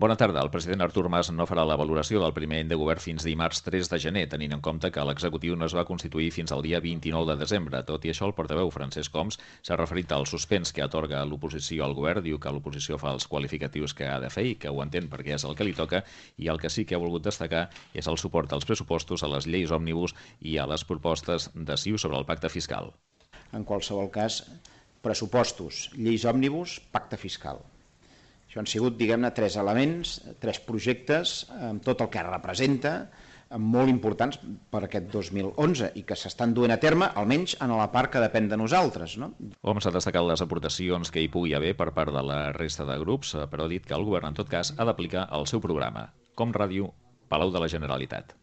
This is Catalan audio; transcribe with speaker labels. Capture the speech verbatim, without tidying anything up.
Speaker 1: Bona tarda. El president Artur Mas no farà la valoració del primer any de govern fins dimarts tres de gener, tenint en compte que l'executiu no es va constituir fins al dia vint-i-nou de desembre. Tot i això, el portaveu Francesc Homs s'ha referit al suspens que atorga l'oposició al govern, diu que l'oposició fa els qualificatius que ha de fer i que ho entén perquè és el que li toca, i el que sí que ha volgut destacar és el suport als pressupostos, a les lleis òmnibus i a les propostes de C I U sobre el pacte fiscal.
Speaker 2: En qualsevol cas, pressupostos, lleis òmnibus, pacte fiscal. Això han sigut, diguem-ne, tres elements, tres projectes, amb tot el que representa, molt importants per aquest dos mil onze i que s'estan duent a terme, almenys en la part que depèn de nosaltres. No?
Speaker 1: Homs ha destacat les aportacions que hi pugui haver per part de la resta de grups, però ha dit que el govern, en tot cas, ha d'aplicar el seu programa. Com Ràdio, Palau de la Generalitat.